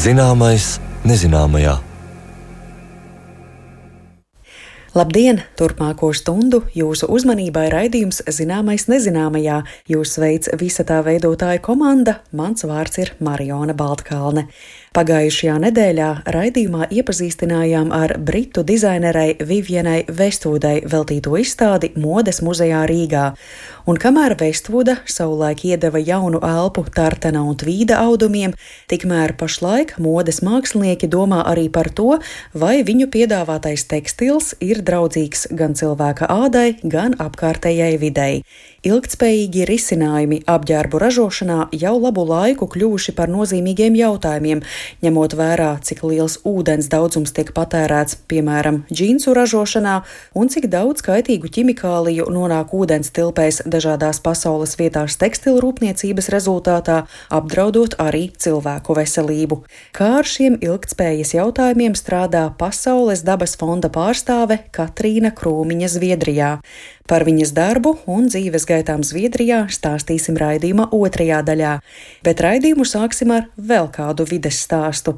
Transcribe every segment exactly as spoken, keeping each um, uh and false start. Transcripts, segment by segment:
Zināmais nezināmajā. Labdien! Turpmāko stundu jūsu uzmanībai raidījums Zināmais nezināmajā. Jūs sveic visa tā veidotāja komanda, mans vārds ir Mariona Baltkalne. Pagājušajā nedēļā raidījumā iepazīstinājām ar britu dizainerei Vivienai Westwoodai veltīto izstādi Modes muzejā Rīgā. Un kamēr Westwooda savulaik iedeva jaunu elpu tartana un tvīda audumiem, tikmēr pašlaik modes mākslinieki domā arī par to, vai viņu piedāvātais tekstils ir draudzīgs gan cilvēka ādai, gan apkārtējai videi. Ilgtspējīgi risinājumi apģērbu ražošanā jau labu laiku kļuvuši par nozīmīgiem jautājumiem, ņemot vērā, cik liels ūdens daudzums tiek patērēts, piemēram, džinsu ražošanā, un cik daudz kaitīgu ķimikāliju nonāk ūdens tilpēs dažādās pasaules vietās tekstilu rūpniecības rezultātā, apdraudot arī cilvēku veselību. Kā ar šiem ilgtspējas jautājumiem strādā Pasaules dabas fonda pārstāve Katrīna Krūmiņa Zviedrijā. Par viņas darbu un dzīves gaitām Zviedrijā stāstīsim raidījuma otrajā daļā, bet raidījumu sāksim ar vēl kādu vides stāstu.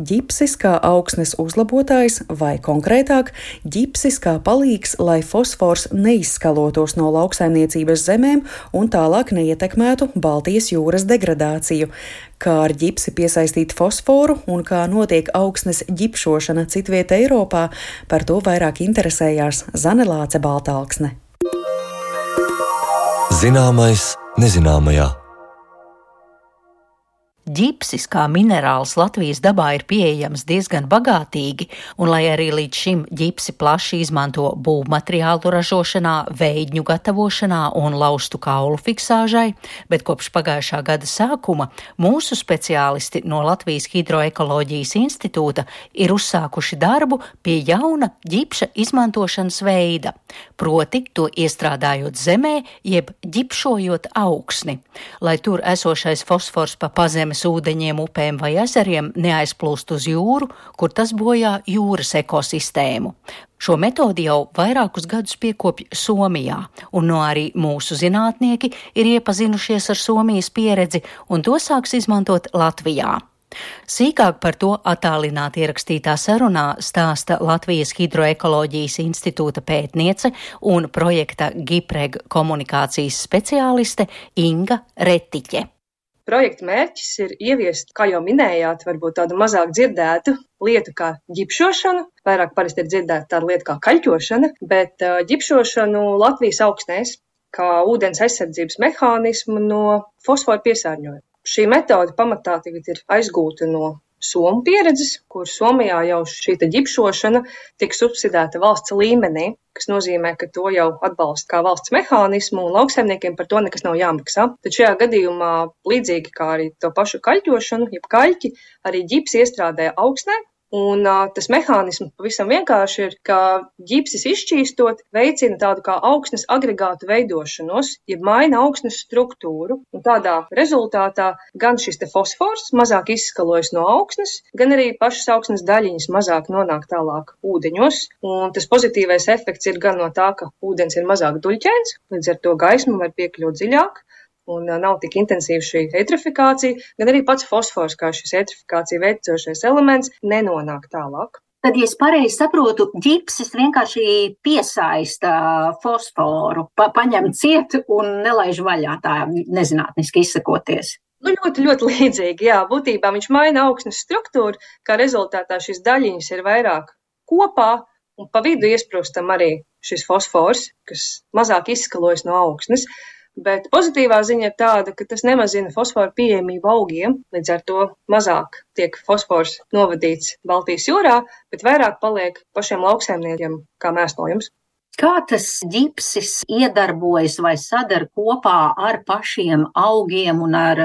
Ģipsis kā augsnes uzlabotājs vai konkrētāk, ģipsis kā palīgs, lai fosfors neizskalotos no lauksaimniecības zemēm un tālāk neietekmētu Baltijas jūras degradāciju. Kā ar ģipsi piesaistīt fosforu un kā notiek augsnes ģipšošana citviet Eiropā, par to vairāk interesējās Zane Lāce Baltalksne. Zināmais nezināmajā. Ģipsis kā minerāls Latvijas dabā ir pieejams diezgan bagātīgi, un lai arī līdz šim ģipsi plaši izmanto būvmateriālu ražošanā, veidņu gatavošanā un laustu kaulu fiksāžai, bet kopš pagājušā gada sākuma mūsu speciālisti no Latvijas Hidroekoloģijas institūta ir uzsākuši darbu pie jauna ģipša izmantošanas veida, proti to iestrādājot zemē, jeb ģipšojot augsni, lai tur esošais fosfors pa pazemes ūdeņiem, upēm vai ezeriem neaizplūst uz jūru, kur tas bojā jūras ekosistēmu. Šo metodi jau vairākus gadus piekopj Somijā, un no arī mūsu zinātnieki ir iepazinušies ar Somijas pieredzi, un to sāks izmantot Latvijā. Sīkāk par to attālināti ierakstītā sarunā stāsta Latvijas Hidroekoloģijas institūta pētniece un projekta GIPREG komunikācijas speciāliste Inga Retiķe. Projekta mērķis ir ieviest, kā jau minējāt, varbūt tādu mazāk dzirdētu lietu kā ģipšošanu. Vairāk parasti ir dzirdēta tāda lieta kā kaļķošana, bet uh, ģipšošanu Latvijas augsnēs kā ūdens aizsardzības mehānismu no fosforu piesārņojuma. Šī metode pamatā tagad ir aizgūta no Somu pieredzes, kur Somijā jau šī ģipšošana tiek subsidēta valsts līmenī, kas nozīmē, ka to jau atbalsta kā valsts mehānismu un lauksaimniekiem par to nekas nav jāmaksā. Tad šajā gadījumā līdzīgi kā arī to pašu kaļķošanu, jeb kaļķi, arī ģipsi iestrādāja augsnē. Un uh, tas mehānisms pavisam vienkārši ir, ka ģipsis izšķīstot veicina tādu kā augsnes agregātu veidošanos, jeb maina augsnes struktūru. Un tādā rezultātā gan šis te fosfors mazāk izskalojas no augsnes, gan arī pašas augsnes daļiņas mazāk nonāk tālāk ūdeņos. Un tas pozitīvais efekts ir gan no tā, ka ūdens ir mazāk duļķēns, līdz ar to gaisma var piekļūt dziļāk. Un nav tik intensīva šī eitrofikācija, gan arī pats fosfors, kā šis eitrofikācija veicošais elements, nenonāk tālāk. Tad, ja es pareizi saprotu, ģipsis vienkārši piesaista fosforu, pa, paņem ciet un nelaiž vaļā, tā nezinātniski izsakoties. Nu, ļoti, ļoti līdzīgi, jā. Būtībā viņš maina augsnes struktūru, kā rezultātā šīs daļiņas ir vairāk kopā, un pa vidu iesprūstam arī šis fosfors, kas mazāk izskalojas no augsnes. Bet pozitīvā ziņa ir tāda, ka tas nemazina fosforu pieejamību augiem, līdz ar to mazāk tiek fosfors novadīts Baltijas jūrā, bet vairāk paliek pašiem lauksaimniekiem kā mēslojums. Kā tas ģipsis iedarbojas vai sadara kopā ar pašiem augiem un ar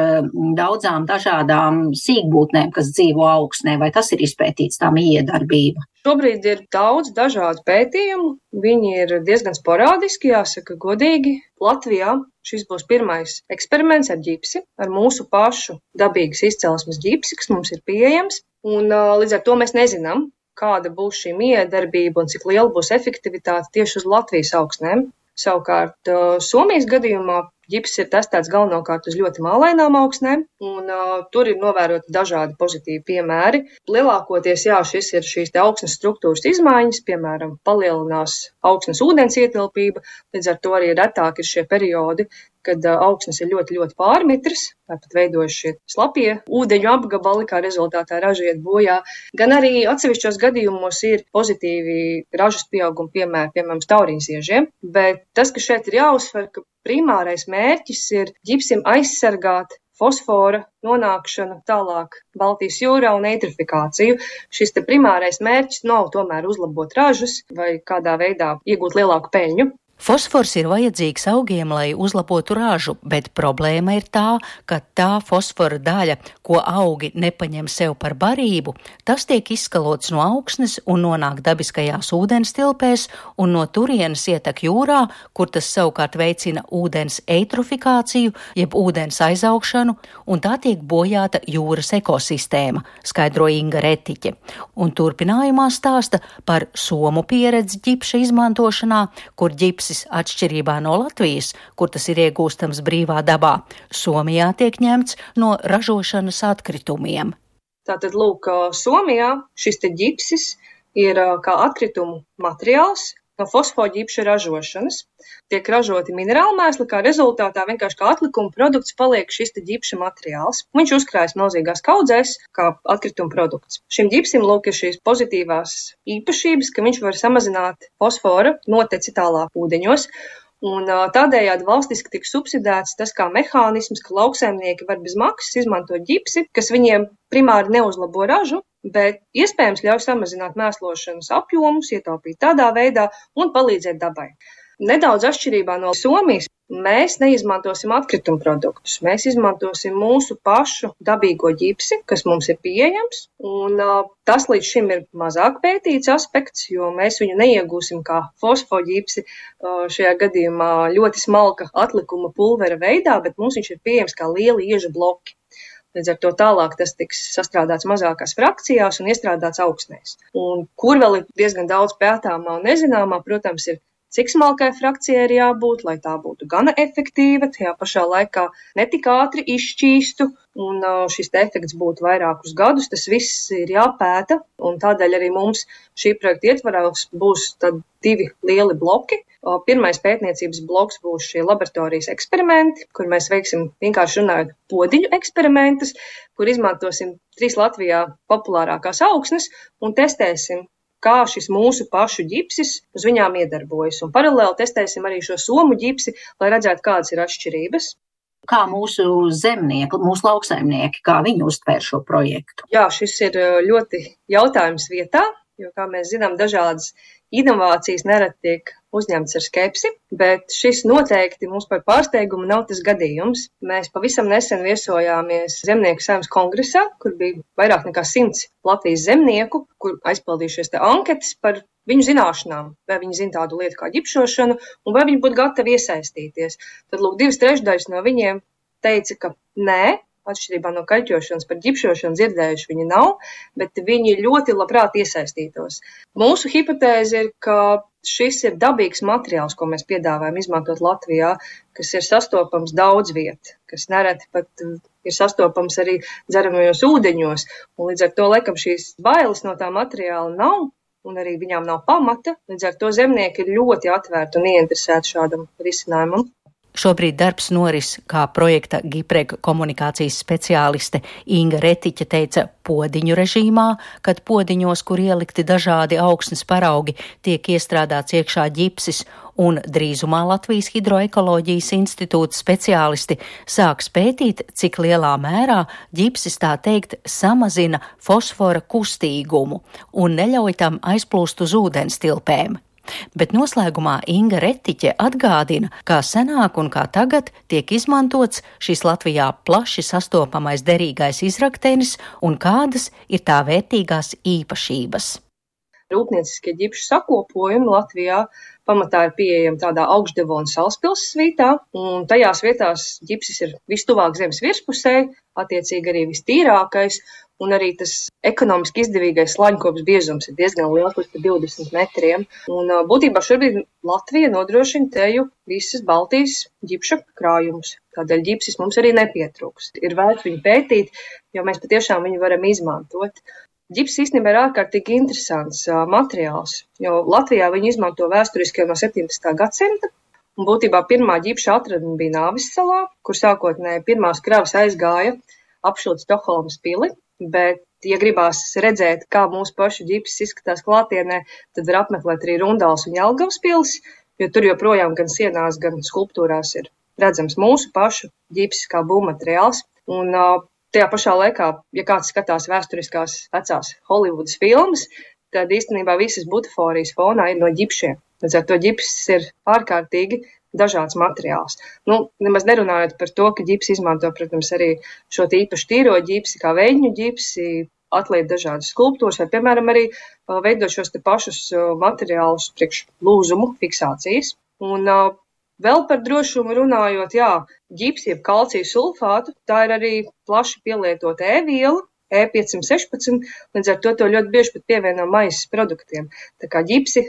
daudzām dažādām sīkbūtnēm, kas dzīvo augsnē, vai tas ir izpētīts tā miedarbība? Šobrīd ir daudz dažādu pētījumu, viņi ir diezgan sporādiski, jāsaka godīgi. Latvijā šis būs pirmais eksperiments ar ģipsi, ar mūsu pašu dabīgas izcelsmes ģipsi, kas mums ir pieejams. Un līdz ar to mēs nezinām, kāda būs šī miedarbība un cik liela būs efektivitāte tieši uz Latvijas augsnēm. Savukārt Somijas gadījumā ģipsis ir testēts galvenokārt uz ļoti mālainām augsnēm, un uh, tur ir novēroti dažādi pozitīvi piemēri. Lielākoties, jā, šis ir šīs te augsnes struktūras izmaiņas, piemēram, palielinās augsnes ūdens ietilpība, līdz ar to arī retāk ir šie periodi, kad uh, augsnes ir ļoti, ļoti pārmitras, tāpat veidojas šie slapie ūdeņu apgabali, kā rezultātā raža iet bojā. Gan arī atsevišķos gadījumos ir pozitīvi ražas pieauguma piemēri, piemēram, tauriņziežiem, bet tas, ka šeit ir jāuzsver, ka primārais mērķis ir ģipsim aizsargāt fosfora nonākšanu tālāk Baltijas jūrā un eitrifikāciju. Šis te primārais mērķis nav tomēr uzlabot ražas vai kādā veidā iegūt lielāku peļņu. Fosfors ir vajadzīgs augiem, lai uzlabotu ražu, bet problēma ir tā, ka tā fosfora daļa, ko augi nepaņem sev par barību, tas tiek izskalots no augsnes un nonāk dabiskajās ūdens tilpēs un no turienes ietek jūrā, kur tas savukārt veicina ūdens eitrofikāciju, jeb ūdens aizaugšanu, un tā tiek bojāta jūras ekosistēma, skaidro Inga Retiķe. Un turpinājumā stāsta par somu pieredzi ģipša izmantošanā, kur ģips atšķirībā no Latvijas, kur tas ir iegūstams brīvā dabā, Somijā tiek ņemts no ražošanas atkritumiem. Tātad, lūk, Somijā šis te ģipsis ir kā atkritumu materiāls no fosfoģipša ražošanas. Tiek ražoti minerāli mēsli, kā rezultātā vienkārši kā atlikuma produkts paliek šis te ģipša materiāls. Viņš uzkrājas milzīgās kaudzēs kā atkrituma produkts. Šim ģipsim lūk ir šīs pozitīvās īpašības, ka viņš var samazināt fosfora noteci tālāk ūdeņos. Un tādējādi valstiski tika subsidēts tas kā mehānisms, ka lauksaimnieki var bez maksas izmantot ģipsi, kas viņiem primāri neuzlabo ražu, bet iespējams ļauj samazināt mēslošanas apjomus, ietaupīt tādā veidā un palīdzēt dabai. Nedaudz atšķirībā no Somijas mēs neizmantosim atkrituma produktus. Mēs izmantosim mūsu pašu dabīgo ģipsi, kas mums ir pieejams, un uh, tas līdz šim ir mazāk pētīts aspekts, jo mēs viņu neiegūsim kā fosfoģipsi uh, šajā gadījumā ļoti smalka atlikuma pulvera veidā, bet mums viņš ir pieejams kā lieli iežu bloki. Līdz ar to tālāk tas tiks sastrādāts mazākās frakcijās un iestrādāts augsnēs. Un kur vēl ir diezgan daudz pētāmā un nezināmā, protams, ir cik smalkai frakcijai ir jābūt, lai tā būtu gana efektīva, tajā pašā laikā netik ātri izšķīstu, un šis efekts būtu vairākus gadus. Tas viss ir jāpēta, un tādēļ arī mums šī projekta ietvarās būs tad divi lieli bloki. Pirmais pētniecības bloks būs šie laboratorijas eksperimenti, kur mēs veiksim vienkārši runājot podiņu eksperimentus, kur izmantosim trīs Latvijā populārākās augsnes un testēsim, kā šis mūsu pašu ģipsis uz viņām iedarbojas. Un paralēli testēsim arī šo somu ģipsi, lai redzētu, kādas ir atšķirības. Kā mūsu zemnieki, mūsu lauksaimnieki, kā viņi uztvēr šo projektu? Jā, šis ir ļoti jautājums vietā, jo, kā mēs zinām, dažādas inovācijas nereti tiek uzņemts ar skepsi, bet šis noteikti mums par pārsteigumu nav tas gadījums. Mēs pavisam nesen viesojāmies Zemnieku saimnes kongresā, kur bija vairāk nekā simts Latvijas zemnieku, kur aizpildījušies te anketas par viņu zināšanām, vai viņi zina tādu lietu kā ģipšošanu un vai viņi būtu gatavi iesaistīties. Tad, lūk, divas trešdaļas no viņiem teica, ka nē, atšķirībā no kaļķošanas par ģipšošanu dzirdējuši viņi nav, bet viņi ļoti labprāt iesaistītos. Mūsu hipotēze ir, ka šis ir dabīgs materiāls, ko mēs piedāvājam izmantot Latvijā, kas ir sastopams daudz viet, kas nereti pat ir sastopams arī dzeramajos ūdeņos, un līdz ar to, laikam, šīs bailes no tā materiāla nav, un arī viņām nav pamata, līdz ar to zemnieki ir ļoti atvērti un ieinteresēti šādam risinājumam. Šobrīd darbs noris, kā projekta GIPREG komunikācijas speciāliste Inga Retiķe teica, podiņu režīmā, kad podiņos, kur ielikti dažādi augsnes paraugi, tiek iestrādāts iekšā ģipsis, un drīzumā Latvijas Hidroekoloģijas institūta speciālisti sāks pētīt, cik lielā mērā ģipsis, tā teikt, samazina fosfora kustīgumu un neļauj tam aizplūst uz ūdens tilpēm. Bet noslēgumā Inga Retiķe atgādina, kā senāk un kā tagad tiek izmantots šis Latvijā plaši sastopamais derīgais izraktenis un kādas ir tā vērtīgās īpašības. Rūpnieciskie ģipšu sakopojumi Latvijā pamatā ir pieejama tādā Augšdevona Salaspils svītā, un tajās vietās ģipsis ir vistuvāk zemes virspusē, attiecīgi arī vistīrākais, un arī tas ekonomiski izdevīgais slaņkops biezums ir diezgan liels, līdz divdesmit metriem. Un būtībā šobrīd Latvija nodrošina teju visas Baltijas ģipša krājumus. Tādēļ ģipsis mums arī nepietrūkst. Ir vērts viņu pētīt, jo mēs patiešām viņu varam izmantot. Ģips īstenībā ir ārkārtīgi interesants uh, materiāls, jo Latvijā viņu izmanto vēsturiski jau no septiņdesmitā gadsimta. Un būtībā pirmā ģipša atradne bija Nāvis salā, kur sākotnēji pirmās kravas aizgāja apšūt Stokholmas pili. Bet, ja gribās redzēt, kā mūsu pašu ģipsis izskatās klātienē, tad var apmeklēt arī Rundāls un Jelgavas pilis, jo tur joprojām gan sienās, gan skulptūrās ir redzams mūsu pašu ģipsis kā būvmateriāls. Un uh, tajā pašā laikā, ja kāds skatās vēsturiskās vecās Holivudas filmas, tad īstenībā visas butaforijas fonā ir no ģipšiem. Līdz ar to ģipsis ir ārkārtīgi dažāds materiāls. Nu, nemaz nerunājot par to, ka ģipsi izmanto, protams, arī šo īpaši tīro ģipsi, kā veidņu ģipsi, atliek dažādas skulptūras, vai, piemēram, arī veidot šos te pašus materiālus priekš lūzumu fiksācijas. Un uh, vēl par drošumu runājot, jā, ģipsi, jeb kalcija sulfātu, tā ir arī plaši pielietota E-viela, E piecsimt sešpadsmit, līdz ar to to ļoti bieži pat pievieno maizes produktiem. Tā kā ģipsi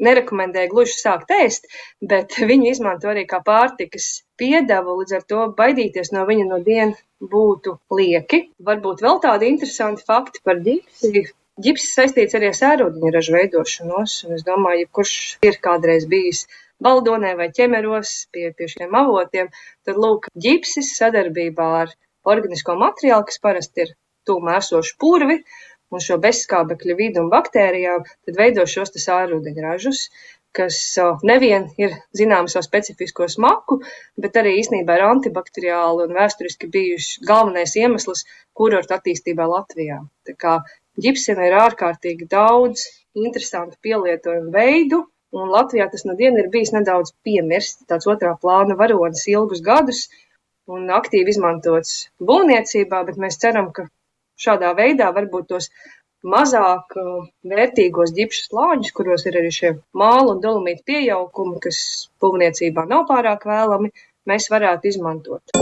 nerekomendēju gluži sākt ēst, bet viņu izmanto arī kā pārtikas piedevu, līdz ar to baidīties no viņa no dienu būtu lieki. Varbūt vēl tādi interesanti fakti par ģipsi. Ģipsis saistīts arī ar sērūdeņražu veidošanos, un es domāju, ja kurš ir kādreiz bijis Baldonē vai Ķemeros pie, pie šiem avotiem, tad lūk, ģipsis sadarbībā ar organisko materiālu, kas parasti ir tūmā esošu purvi, un šo bezskābekļa vidu un baktērijām, tad veido šos te sārūdeņražus, kas nevien ir zināms savu specifisko smaku, bet arī īstenībā ir antibakteriāli un vēsturiski bijuši galvenais iemesls kurortu attīstībā Latvijā. Tā kā ģipsim ir ārkārtīgi daudz interesantu pielietojumu veidu, un Latvijā tas no diena ir bijis nedaudz piemirsts, tāds otrā plāna varonis ilgus gadus un aktīvi izmantots būvniecībā, bet mēs ceram, ka šādā veidā varbūt tos mazāk vērtīgos ģipšu slāņus, kuros ir arī šie māla un dolomīta piejaukumi, kas būvniecībā nav pārāk vēlami, mēs varētu izmantot.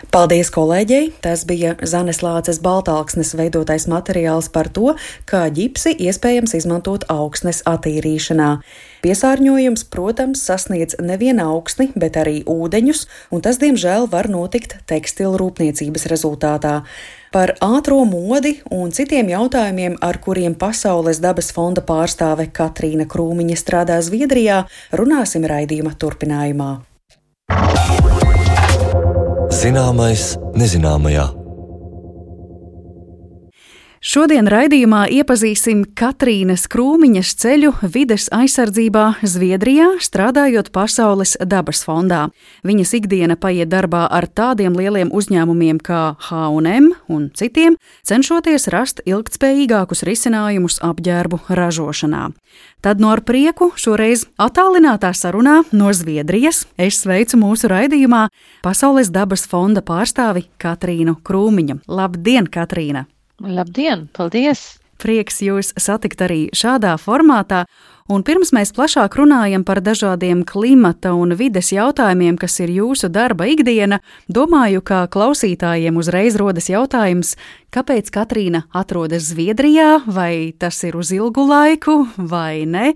Paldies kolēģei! Tas bija Zanes Lāces Baltalksnes veidotais materiāls par to, kā ģipsi iespējams izmantot augsnes attīrīšanā. Piesārņojums, protams, sasniedz nevien augsni, bet arī ūdeņus, un tas, diemžēl, var notikt tekstilu rūpniecības rezultātā. Par ātro modi un citiem jautājumiem, ar kuriem Pasaules dabas fonda pārstāve Katrīna Krūmiņa strādā Zviedrijā, runāsim raidījuma turpinājumā. Zināmais nezināmajā. Šodien raidījumā iepazīsim Katrīnas Krūmiņas ceļu vides aizsardzībā Zviedrijā, strādājot Pasaules dabas fondā. Viņas ikdiena paiet darbā ar tādiem lieliem uzņēmumiem kā H un M un citiem, cenšoties rast ilgtspējīgākus risinājumus apģērbu ražošanā. Tad no ar prieku šoreiz attālinātā sarunā no Zviedrijas es sveicu mūsu raidījumā Pasaules dabas fonda pārstāvi Katrīnu Krūmiņu. Labdien, Katrīna! Labdien, paldies! Prieks jūs satikt arī šādā formātā, un pirms mēs plašāk runājam par dažādiem klimata un vides jautājumiem, kas ir jūsu darba ikdiena, domāju, ka klausītājiem uzreiz rodas jautājums, kāpēc Katrīna atrodas Zviedrijā, vai tas ir uz ilgu laiku, vai ne?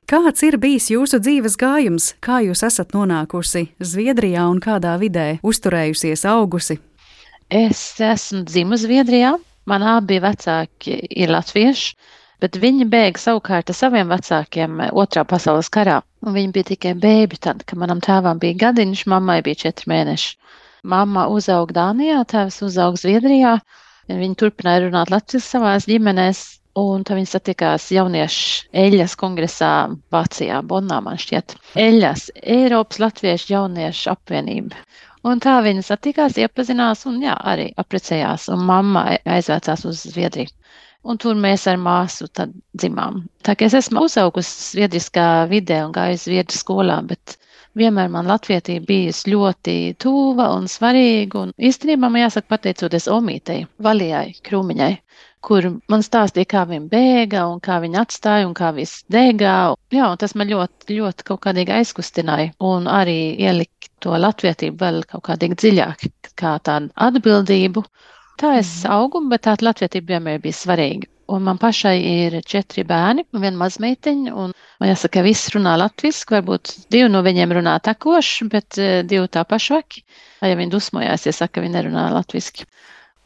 Kāds ir bijis jūsu dzīves gājums? Kā jūs esat nonākusi Zviedrijā un kādā vidē uzturējusies, augusi? Es esmu dzimusi Zviedrijā. Man abi vecāki ir latvieši, bet viņi bēga savukārt ar saviem vecākiem otrā pasaules karā. Un viņi bija tikai bēbi tad, kad manam tēvam bija gadiņš, mammai bija četri mēneši. Mamma uzauga Dānijā, tēvs uzauga Zviedrijā. Viņi turpināja runāt latviski savās ģimenēs, un tad viņi satikās jauniešu Eļas kongresā Vācijā, Bonnā, man šķiet. Eļas, Eiropas Latviešu jauniešu apvienība. Un tā viņi satikās, iepazinās un jā, arī apprecējās, un mamma aizvēcās uz Zviedriju. Un tur mēs ar māsu tad dzimām. Tā kā es esmu uzaugusi zviedriskā vidē un gājusi zviedru skolā, bet vienmēr man latvietība bijusi ļoti tuva un svarīga, un īstenībā man jāsaka pateicoties omītei, Valijai Krūmiņai. kur man stāstīja, kā viņa bēga un kā viņa atstāja un kā viss degā. Jā, un tas man ļoti, ļoti kaut kādīgi aizkustināja un arī ielika to latvietību vēl kaut kādīgi dziļāk, kā tādu atbildību. Tā es augu, bet tā latvietība vienmēr bija svarīga. Un man pašai ir četri bērni un viena mazmeitiņa, un man jāsaka, ka viss runā latviski, varbūt divi no viņiem runā tekoši, bet divi tā pašvaki. Ja viņi dusmojās, ja saka, ka viņi nerunā latviski.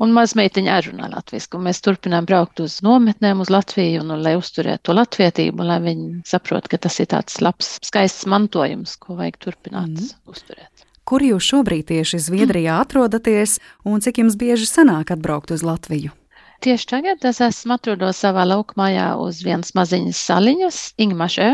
Un mazmeitiņa arī runā latviski, un mēs turpinām braukt uz nometnēm uz Latviju, un, un lai uzturētu to latvietību, un lai viņi saprot, ka tas ir tāds labs, skaists mantojums, ko vajag turpināt mm. uzturēt. Kur jūs šobrīd tieši Zviedrijā atrodaties, un cik jums bieži sanāk atbraukt uz Latviju? Tieši tagad es esmu atrodos savā laukmājā uz vienas maziņas saliņas, Ingmašē,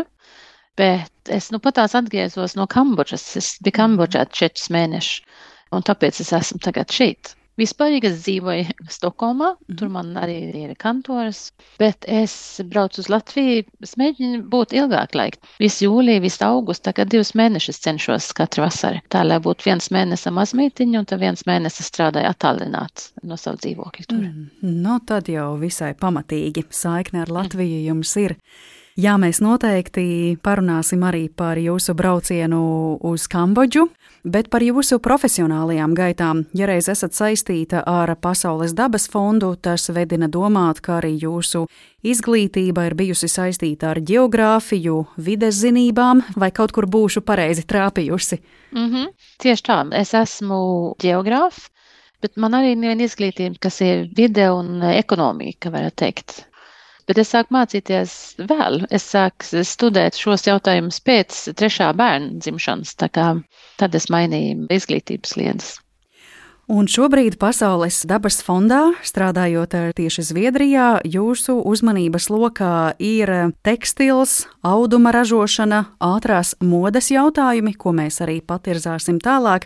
bet es nu pat tās atgriezos no Kambodžas. Es biju Kambodžā četrus mēnešus, un tāpēc es esmu tagad šeit. Vispārīgi es dzīvoju Stokholmā, tur man arī ir kantoras, bet es braucu uz Latviju, es mēģinu būt ilgāk laika. Visu jūliju, visu augustu, tagad divus mēnešus cenšos katru vasaru. Tā, lai būtu viens mēnesis mazmeitiņa, un tad viens mēnesis strādāju attālināts no savu dzīvokļu tur. Mm, no tad jau visai pamatīgi saikne ar Latviju jums ir. Jā, mēs noteikti parunāsim arī par jūsu braucienu uz Kambodžu, bet par jūsu profesionālajām gaitām. Ja reiz esat saistīta ar Pasaules dabas fondu, tas vedina domāt, ka arī jūsu izglītība ir bijusi saistīta ar ģeogrāfiju, vides zinībām, vai kaut kur būšu pareizi trāpījusi. Mm-hmm. Tieši tā, es esmu ģeogrāfa, bet man arī neviena izglītība, kas ir vide un ekonomika, varētu teikt. Bet es sāku mācīties vēl. Es sāku studēt šos jautājumus pēc trešā bērna dzimšanas, tā kā tad es mainīju izglītības sliedes. Un šobrīd Pasaules dabas fondā, strādājot tieši Zviedrijā, jūsu uzmanības lokā ir tekstils, auduma ražošana, ātrās modes jautājumi, ko mēs arī patirzāsim tālāk.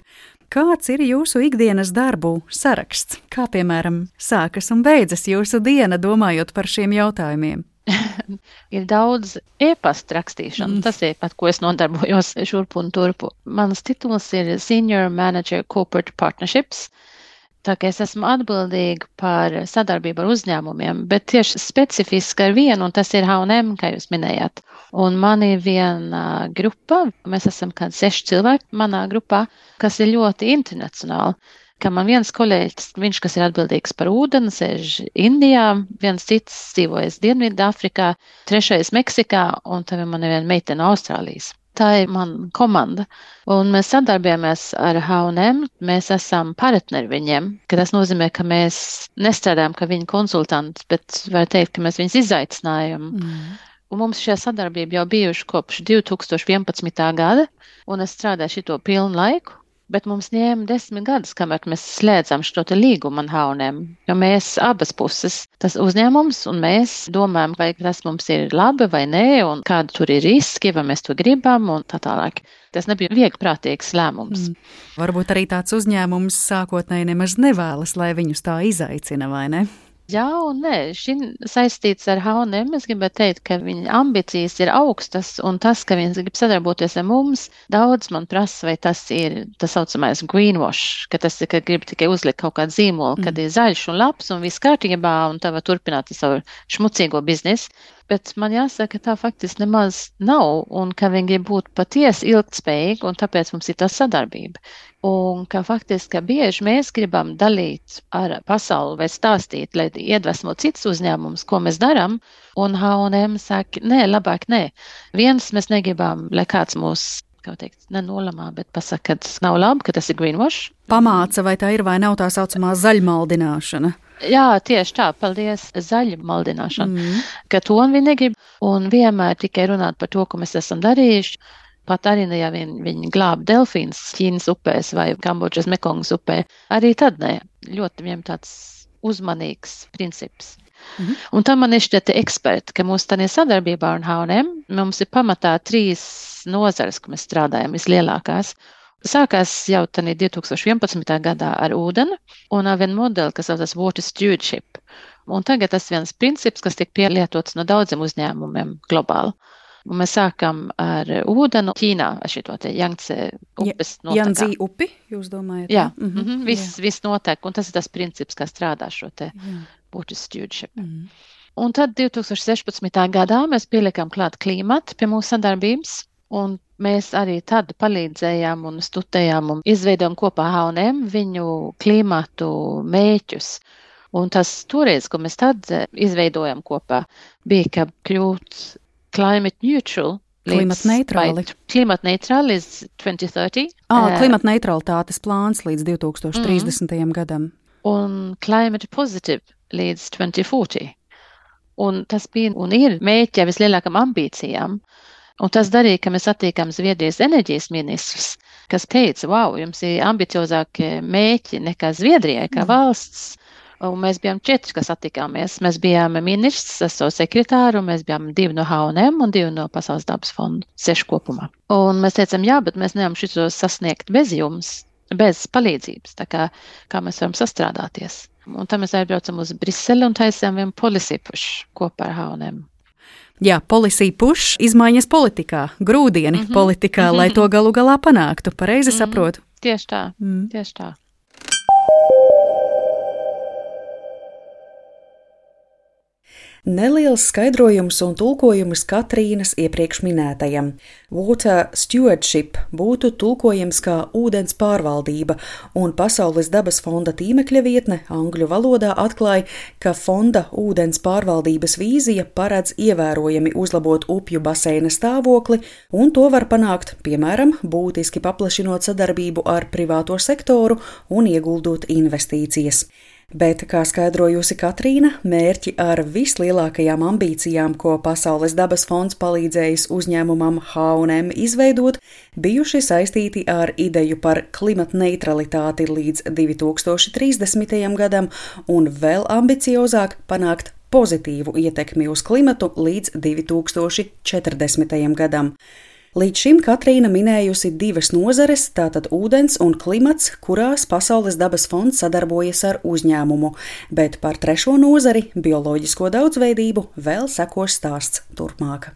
Kāds ir jūsu ikdienas darbu saraksts? Kā, piemēram, sākas un beidzas jūsu diena, domājot par šiem jautājumiem? Ir daudz e-pasta rakstīšana. Mm. Tas ir pat, ko es nodarbojos šurpu un turpu. Mans tituls ir Senior Manager Corporate Partnerships. Tā kā es esmu atbildīga par sadarbību ar uzņēmumiem, bet tieši specifiski ar vienu, un tas ir H un M, kā jūs minējāt. Un man ir viena grupa, mēs esam kādi seši cilvēki manā grupā, kas ir ļoti internacionāli. Kā man viens kolēģis, viņš, kas ir atbildīgs par ūdeni, sēž Indijā, viens cits dzīvojas Dienvidāfrikā, trešais Meksikā, un tad man ir viena meitene Austrālijas. Tā ir mana komanda, un mēs sadarbojamies ar H un M, mēs esam partneri viņiem, ka tas nozīmē, ka mēs nestrādājam kā viņa konsultanti, bet var teikt, ka mēs viņus izaicinājam. Mm. Un mums šajā sadarbība jau bijuši kopš divi tūkstoši vienpadsmitā gada, un es strādāju šito pilnu laiku. Bet mums ņēma desmit gadus, kamēr mēs slēdzam šo te līgumu ar H un M, jo mēs abas puses, tas uzņēmums, un mēs domājam, vai tas mums ir labi vai nē, un kāda tur ir riski, vai mēs to gribam, un tā tālāk. Tas nebija vieglprātīgs lēmums. Mm. Varbūt arī tāds uzņēmums sākotnēji nemaz nevēlas, lai viņus tā izaicina, vai ne? Jā un nē, šī saistīts ar H un M, es gribētu teikt, ka viņa ambīcijas ir augstas, un tas, ka viņas grib sadarboties ar mums, daudz man prasa, vai tas ir tas saucamais greenwash, ka tas ir, ka grib tikai uzlikt kaut kādu zīmolu, mm. kad ir zaļš un labs un viss kārtībā, un tā var turpināt savu šmucīgo biznesu. Bet man jāsaka, ka tā faktiski nemaz nav, un ka viņi grib būt patiesi ilgtspējīgi, un tāpēc mums ir tā sadarbība. Un ka faktiski, ka bieži mēs gribam dalīt ar pasauli vai stāstīt, lai iedvesmo cits uzņēmums, ko mēs darām, un H un M saka, nē, labāk nē. Viens mēs negribam, lai kāds mūs, kā teikt, nenolamā, bet pasaka, ka tas nav labi, ka tas ir greenwash. Pamāca, vai tā ir vai nav tā saucamā zaļmaldināšana? Jā, tieši tā, paldies, zaļa maldināšana, mm. ka to viņi negrib, un vienmēr tikai runāt par to, ko mēs esam darījuši. Pat arī, ja viņi, viņi glāb delfīns Ķīnas upēs vai Kambodžas Mekongas upē, arī tad ne, ļoti viņiem tāds uzmanīgs princips. Mm-hmm. Un tam man ir šķiet eksperti, ka mūsu tādā sadarbībā ar H un M mums ir pamatā trīs nozares, ko mēs strādājam, vislielākās. Sākās jau tādā divi tūkstoši vienpadsmitā gadā ar ūdeni un ar vienu modeli, kas saucas Water Stewardship. Un tagad tas viens princips, kas tiek pielietots no daudziem uzņēmumiem globāli. Un mēs sākam ar ūdeni Ķīnā, ar šito te Jangtse upes notekā. Jangtse upi, jūs domājat? Jā, mm-hmm. viss, viss notek, un tas ir tas princips, kā strādā šo te. Jā. water stewardship. Mm. Un tad divtūkstoš sešpadsmitā gadā mēs pielikām klāt klimatu pie mūsu sadarbības, un mēs arī tad palīdzējām un studējām un izveidojām kopā H un M viņu klimatu mēķus. Un tas toreiz, ko mēs tad izveidojām kopā, bija, ka kļūt climate neutral, klimatneitrāli. Klimatneitrāli līdz twenty thirty. Ah, klimatneitralitātes plāns līdz divtūkstoš trīsdesmitajam mm. gadam. Un climate positive līdz twenty forty. Un tas bija un ir mēķi vislielākam ambīcijām. Un tas darīja, ka mēs attiekām Zviedrijas enerģijas ministrs, kas teica, wow, jums ir ambiciozākie mēķi nekā Zviedrijai, kā mm. valsts. Un mēs bijām četri, kas attikāmies. Mēs bijām ministrs, es savu sekretāru, un mēs bijām divi no H un M un divi no Pasaules dabas fonda, seši kopumā. Un mēs teicām, jā, bet mēs nevaram šito sasniegt bez jums, bez palīdzības, tā kā, kā mēs varam sastrādāties. Un tad mēs aizbraucam uz Briseli un taisām vienu policy push kopā ar H un M. Jā, policy push, izmaiņas politikā, grūdieni mm-hmm. politikā, mm-hmm. lai to galu galā panāktu. Pareizi mm-hmm. saprotu? Tieši tā, mm. tieši tā. Neliels skaidrojums un tulkojums Katrīnas iepriekš minētajam. Water stewardship būtu tulkojams kā ūdens pārvaldība, un Pasaules dabas fonda tīmekļa vietne angļu valodā atklāja, ka fonda ūdens pārvaldības vīzija paredz ievērojami uzlabot upju baseina stāvokli, un to var panākt, piemēram, būtiski paplašinot sadarbību ar privāto sektoru un ieguldot investīcijas. Bet, kā skaidrojusi Katrīna, mērķi ar vislielākajām ambīcijām, ko Pasaules dabas fonds palīdzējis uzņēmumam H un M izveidot, bijuši saistīti ar ideju par klimatneitralitāti līdz divtūkstoši trīsdesmitajam gadam un vēl ambiciozāk panākt pozitīvu ietekmi uz klimatu līdz divtūkstoši četrdesmitajam gadam. Līdz šim Katrīna minējusi divas nozares, tātad ūdens un klimats, kurās Pasaules dabas fonds sadarbojas ar uzņēmumu, bet par trešo nozari, bioloģisko daudzveidību, vēl sekos stāsts turpmāk.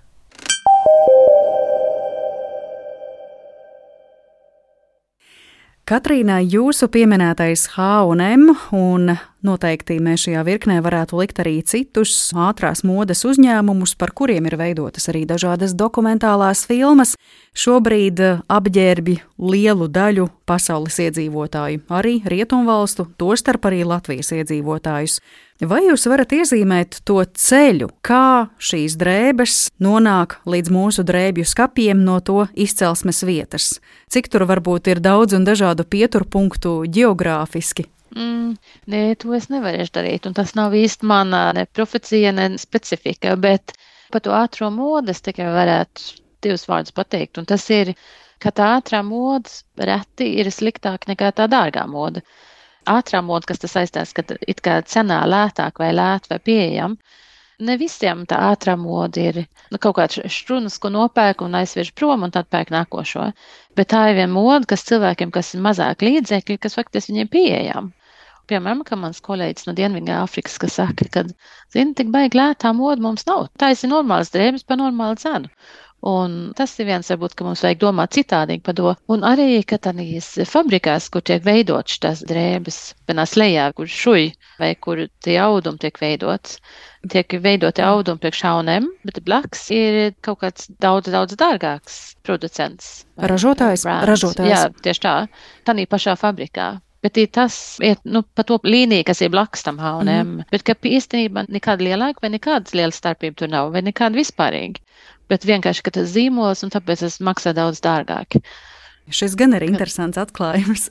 Katrīna, jūsu pieminētais H un M, un noteikti mēs šajā virknē varētu likt arī citus ātrās modes uzņēmumus, par kuriem ir veidotas arī dažādas dokumentālās filmas, šobrīd apģērbi lielu daļu pasaules iedzīvotāju, arī rietumvalstu, tostarp arī Latvijas iedzīvotājus. Vai jūs varat iezīmēt to ceļu, kā šīs drēbes nonāk līdz mūsu drēbju skapiem no to izcelsmes vietas? Cik tur varbūt ir daudz un dažādu pieturpunktu ģeogrāfiski? Mm, nē, to es nevarēšu darīt, un tas nav īsti mana ne profecija, ne specifika, bet par to ātro modu es tikai varētu divus vārdus pateikt, un tas ir, ka tā ātrā moda reti ir sliktāk nekā tā dārgā moda. Ātrā moda, kas tas saistās, ka it kā cenā lētāk vai lēt vai pieejam, ne visiem tā ātrā moda ir nu, kaut kāds šrunas, ko nopērk un aizviež prom un tad pērk nākošo. Bet tā ir viena moda, kas cilvēkiem, kas ir mazāk līdzekļi, kas faktiski viņiem pieejam. Piemēram, ka mans kolēģis no Dienvidā Afrikas, kas saka, ka, zini, tik baigi lētā moda mums nav. Tā ir normāls drēbes par normālu cenu. Un tas ir viens, varbūt, ka mums vajag domāt citādīgi par to. Un arī, ka tādīs fabrikās, kur tiek veidot šitās drēbes, vienās lejā, kur šuj, vai kur tie audumi tiek veidots, tiek veidoti audumi priekš H un M, bet blakus ir kaut kāds daudz, daudz dārgāks producents. Ražotājs, ražotājs. Jā, tieši tā, tādā pašā fabrikā. Bet ir tas, ir, nu, pa to līniju, kas ir blakus tam H un M, mm. bet ka īstenībā nekāda lielāka vai nekādas lielas starpība tur nav, vai nekāda vispārīgi. Bet vienkārši, ka tas zīmols, un tāpēc tas maksā daudz dārgāk. Šis gan ir interesants atklājums,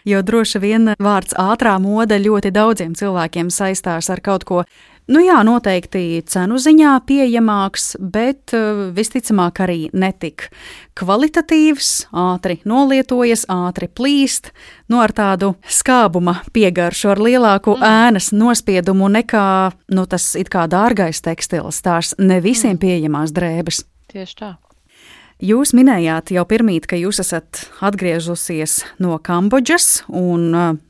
jo droši vien vārds ātrā moda ļoti daudziem cilvēkiem saistās ar kaut ko, nu jā, noteikti cenu ziņā pieejamāks, bet visticamāk arī netik kvalitatīvs, ātri nolietojas, ātri plīst, nu ar tādu skābuma piegaršu, ar lielāku mm. ēnas nospiedumu nekā, nu tas it kā dārgais tekstils, tās ne visiem pieejamās drēbes. Tieši tā. Jūs minējāt jau pirmīt, ka jūs esat atgriežusies no Kambodžas, un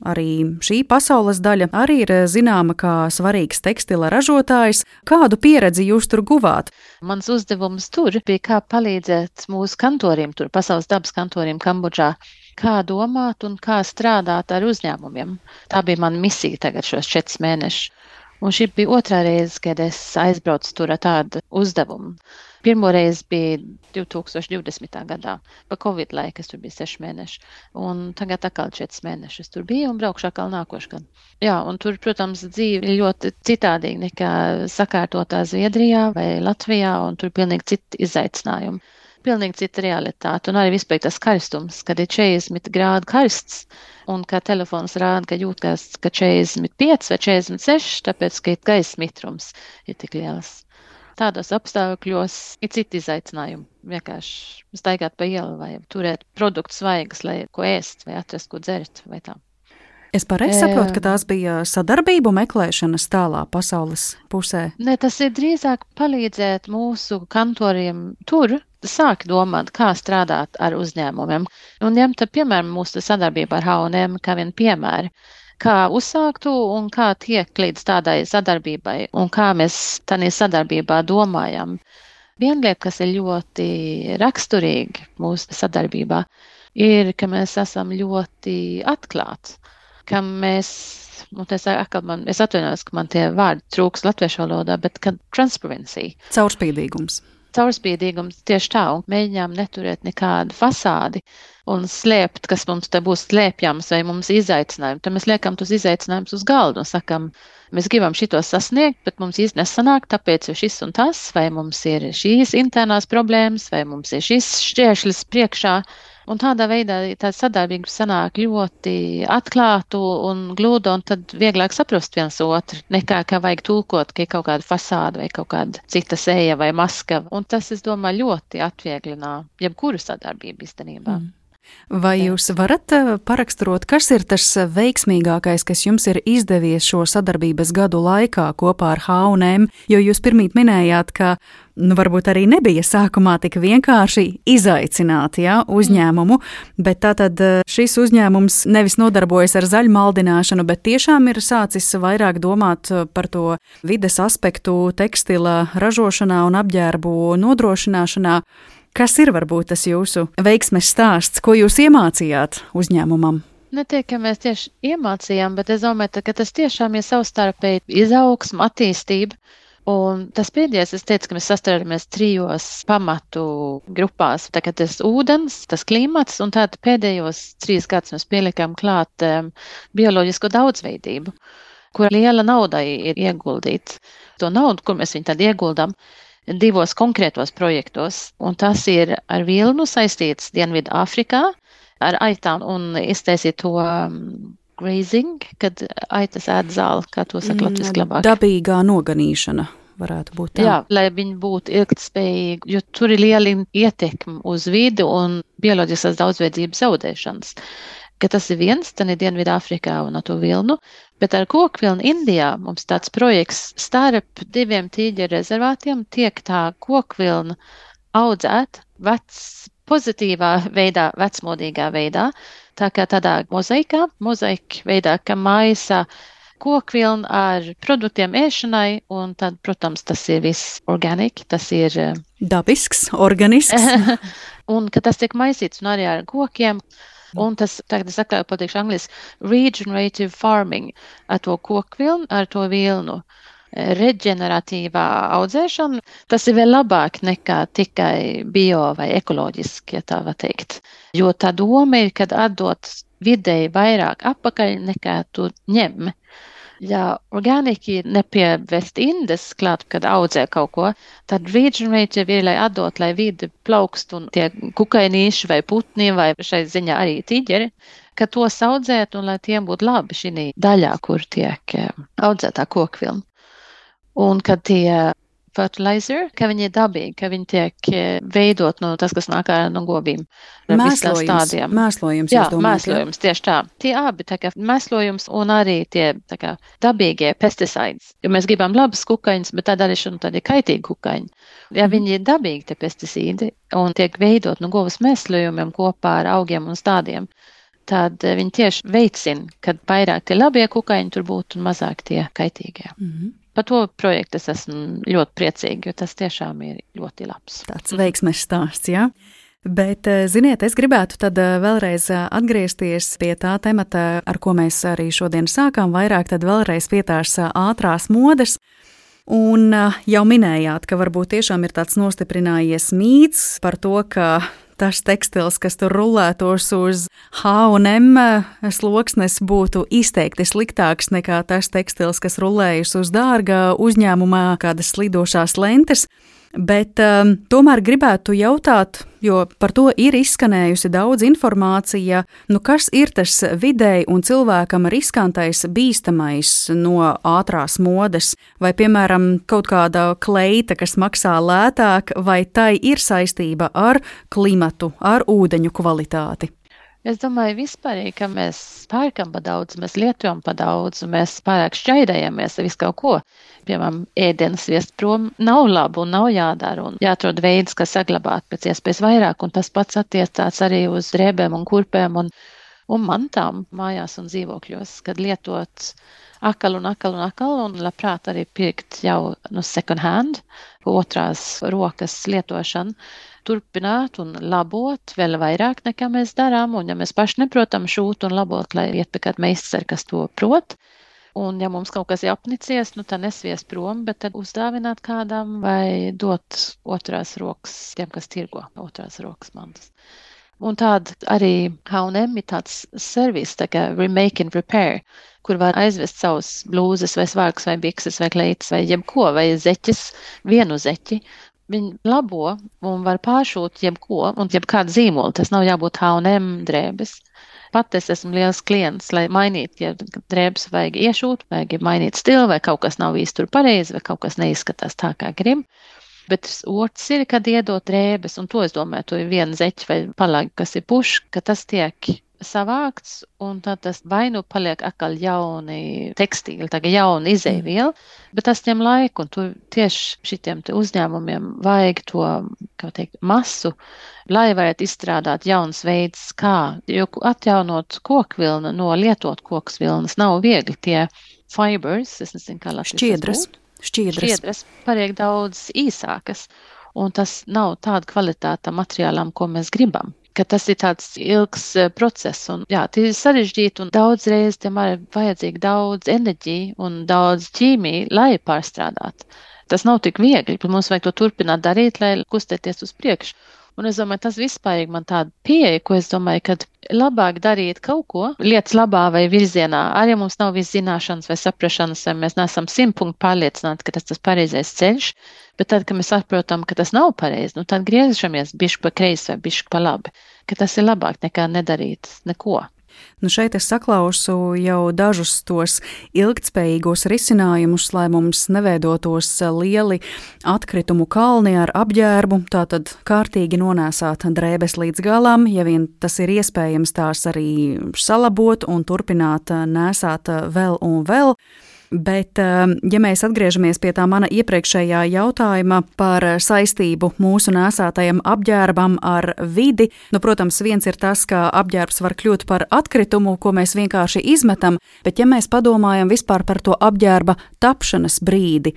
arī šī pasaules daļa arī ir zināma kā svarīgs tekstila ražotājs. Kādu pieredzi jūs tur guvāt? Mans uzdevums tur bija, kā palīdzēt mūsu kantoriem, tur Pasaules dabas kantoriem Kambodžā, kā domāt un kā strādāt ar uzņēmumiem. Tā bija mana misija tagad šos četrus mēnešus. Un šī bija otrā reize, kad es aizbraucu tur ar tādu uzdevumu. Pirmo reizi bija divtūkstoš divdesmitā gadā, pa Covid laiku, es tur biju seši mēneši, un tagad atkal četri mēneši es tur biju un braukšu atkal nākošu gadu. Jā, un tur, protams, dzīve ir ļoti citādīga nekā sakārtotā Zviedrijā vai Latvijā, un tur pilnīgi citi izaicinājumi. Pilnīgi cita realitāte, un arī vispār tas karstums, kad ir četrdesmit grādu karsts, un kā telefons rāda, ka jūtas, ka četrdesmit pieci vai četrdesmit seši, tāpēc, ka gaisa mitrums ir tik liels. Tādos apstākļos ir citi izaicinājumi. Vienkārši staigāt pa ielu vai turēt produktus svaigas, lai ko ēst vai atrast, ko dzert vai tā. Es pareizi saprotu, ka tās bija sadarbību meklēšanas tālā pasaules pusē? Ne, tas ir drīzāk palīdzēt mūsu kantoriem tur, sāk domāt, kā strādāt ar uzņēmumiem. Un ņemt, piemēram, mūsu sadarbību ar H un M kā vien piemēri. Kā uzsāktu un kā tiek līdz tādai sadarbībai un kā mēs tādā sadarbībā domājam. Viena lieta, kas ir ļoti raksturīga mūsu sadarbībā, ir, ka mēs esam ļoti atklāti, ka mēs, nu, tas atkal man, es atvainojos, ka man tie vārdi trūks latviešu valodā, bet ka transparency. Caurspīdīgums. Caurspīdīgums tieši tā, un mēģinām neturēt nekādu fasādi un slēpt, kas mums te būs slēpjams vai mums izaicinājumi. Tad mēs liekam tos izaicinājumus uz galdu un sakam, mēs gribam šito sasniegt, bet mums īsti nesanāk, tāpēc ir šis un tas, vai mums ir šīs internās problēmas, vai mums ir šis šķēršļis priekšā. Un tādā veidā tā sadarbība sanāk ļoti atklātu un glūdu, un tad vieglāk saprast viens otru, nekā kā vajag tulkot, ka ir kaut kāda fasāda vai kaut kāda cita seja vai maska. Un tas, es domāju, ļoti atvieglina jebkuru sadarbību īstenībā. Mm. Vai jūs varat paraksturot, kas ir tas veiksmīgākais, kas jums ir izdevies šo sadarbības gadu laikā kopā ar H un M, jo jūs pirmīt minējāt, ka nu, varbūt arī nebija sākumā tik vienkārši izaicināt ja, uzņēmumu, bet tātad šis uzņēmums nevis nodarbojas ar zaļmaldināšanu, bet tiešām ir sācis vairāk domāt par to vides aspektu tekstila ražošanā un apģērbu nodrošināšanā. Kas ir varbūt tas jūsu veiksmes stāsts, ko jūs iemācījāt uzņēmumam? Netiek, ka mēs tieši iemācījām, bet es domāju, ka tas tiešām ir savstarpēji izaugsma, attīstība. Un tas pēdējais, es teicu, ka mēs sastādāmies trijos pamatu grupās. Tagad tas ūdens, tas klimats, un tātad pēdējos trīs gadus mēs pielikām klāt um, bioloģisko daudzveidību, kur liela nauda ir ieguldīta. To naudu, kur mēs viņu tad ieguldām, divos konkrētos projektos, un tas ir ar vilnu saistīts Dienvidu Āfrikā, ar aitām un iztaisīt to um, grazing, kad aitas ēd zāli, kā to saka latviski labāk. Dabīgā noganīšana varētu būt tā. Jā, lai viņi būtu ilgtspējīgi, jo tur ir liela ietekme uz vidi un bioloģiskās daudzveidības zaudēšanas. Ka tas ir viens, tad ir Dienvidu Āfrikā un ar to vilnu, bet ar kokvilnu Indijā mums tāds projekts starp diviem tīģeru rezervātiem tiek tā kokvilna audzēt vec, pozitīvā veidā, vecmodīgā veidā, tā kā tādā mozaikā, mozaika veidā, ka maisa kokvilnu ar produktiem ēšanai, un tad, protams, tas ir viss organiki, tas ir dabisks, organisks. Un ka tas tiek maisīts un arī ar kokiem. Un tas, tagad es atkal pateikšu angliski, regenerative farming, ar to kokvilnu, ar to vilnu. Reģeneratīvā audzēšana, tas ir vēl labāk nekā tikai bio vai ekoloģiski, ja tā var teikt. Jo tā doma ir, kad atdot vidēji vairāk apakaļ nekā tu ņem. Ja organiki nepievest indes klāt, kad audzē kaut ko, tad regenerative ir, lai atdot, lai vidi plaukst un tie kukainīši vai putni vai šai ziņā arī tīģeri, ka tos audzēt un lai tiem būtu labi šī daļā, kur tiek audzētā kokvilna. Un kad tie fertilizer, ka viņi ir dabīgi, ka viņi tiek veidot no tas, kas nāk no govīm. Mēslojums, mēslojums, jā, jūs domājat? mēslojums, tieši tā. Tie abi, tā kā mēslojums un arī tie, tā kā, dabīgie pesticides. Jo mēs gribam labas kukaiņas, bet tā darīšana tad ir kaitīgi kukaiņi. Ja viņi ir dabīgi, tie pesticīdi, un tiek veidot no govas mēslojumiem kopā ar augiem un stādiem, tad viņi tieši veicina, kad vairāk tie labie kukaiņi tur būtu un mazāk tie kaitīgie. Mm-hmm. Par to projektu es esmu ļoti priecīga, jo tas tiešām ir ļoti labs. Tāds veiksmes stāsts, jā. Bet, ziniet, es gribētu tad vēlreiz atgriezties pie tā temata, ar ko mēs arī šodien sākām, vairāk tad vēlreiz pie tās ātrās modes. Un jau minējāt, ka varbūt tiešām ir tāds nostiprinājies mīts par to, ka tas tekstils, kas tur rulētos uz H un M sloksnes, būtu izteikti sliktāks nekā tas tekstils, kas rulējas uz dārga uzņēmumā kādas slidošās lentes. Bet um, tomēr gribētu jautāt, jo par to ir izskanējusi daudz informācija, nu kas ir tas vidēji un cilvēkam riskantais, bīstamais no ātrās modes, vai piemēram kaut kāda kleita, kas maksā lētāk, vai tai ir saistība ar klimatu, ar ūdeņu kvalitāti? Es domāju, vispārīgi, ka mēs pērkam pa daudz, mēs lietojam pa daudz, un mēs pārāk šķaidējamies ar visu kaut ko. Piemēram, ēdienas viest prom nav labi un nav jādara, un jāatrod veids, kā saglabāt pēc iespējas vairāk, un tas pats attiecās arī uz drēbēm un kurpēm un, un mantām mājās un dzīvokļos, kad lietot akal un akal un akal, un labprāt arī pirkt jau no second hand, otrās rokas lietošanu. Turpināt un labot vēl vairāk nekā mēs darām, un ja mēs paši neprotam šūt un labot, lai iet pie kāda meistara, kas to prot, un ja mums kaut kas ir apnicies, nu tad nesviest prom, bet tad uzdāvināt kādam vai dot otrās rokas tiem, kas tirgo otrās rokas mantas. Un tāda arī H un M ir tāds servis, tā kā remake and repair, kur var aizvest savus blūzes vai svārkus vai bikses vai kleitas vai jebko, vai zeķes, vienu zeķi. Viņi labo un var pāršūt jebko un jebkādu zīmolu. Tas nav jābūt H un M drēbes. Pat es esmu liels klients, lai mainītu, ja drēbes vajag iešūt, vajag mainīt stilu, vai kaut kas nav īsti tur pareizi, vai kaut kas neizskatās tā, kā grib. Bet otrs ir, kad iedot drēbes, un to es domāju, to ir viena zeķa vai palagi, kas ir puš, ka tas tiek savākts, un tad tas vai nu paliek atkal jauni tekstīli, tā kā jauni izēviela, bet tas ņem laiku, un tu tieši šitiem te uzņēmumiem vajag to, kā teikt, masu, lai varētu izstrādāt jauns veids, kā, jo atjaunot kokvilnu no lietot koksvilnas nav viegli, tie fibers, es nezinu, kā latviešu šķiedras, šķiedras, šķiedras paliek daudz īsākas, un tas nav tāda kvalitāte materiālam, ko mēs gribam. Ka tas ir tāds ilgs process, un jā, tie ir sarežģīti, un daudz reiz tiem ir vajadzīgi daudz enerģiju un daudz ķīmiju, lai pārstrādāt. Tas nav tik viegli, bet mums vajag to turpināt darīt, lai kustēties uz priekšu. Un es domāju, tas vispārīgi man tāda pieeja, ko es domāju, kad labāk darīt kaut ko lietas labā vai virzienā, arī ja mums nav viss zināšanas vai saprašanas, vai mēs neesam simt punktu pārliecināti, ka tas tas pareizais ceļš, bet tad, kad mēs saprotam, ka tas nav pareizi, nu tad griežamies bišķi pa kreisi vai bišķi pa labi, ka tas ir labāk nekā nedarīt neko. Nu šeit es saklausu jau dažus tos ilgtspējīgos risinājumus, lai mums neveidotos lieli atkritumu kalni ar apģērbu, tātad kārtīgi nonēsāt drēbes līdz galam, ja vien tas ir iespējams tās arī salabot un turpināt nēsāt vēl un vēl. Bet, ja mēs atgriežamies pie tā mana iepriekšējā jautājuma par saistību mūsu nēsātajam apģērbam ar vidi, nu, protams, viens ir tas, ka apģērbs var kļūt par atkritumu, ko mēs vienkārši izmetam, bet ja mēs padomājam vispār par to apģērba tapšanas brīdi,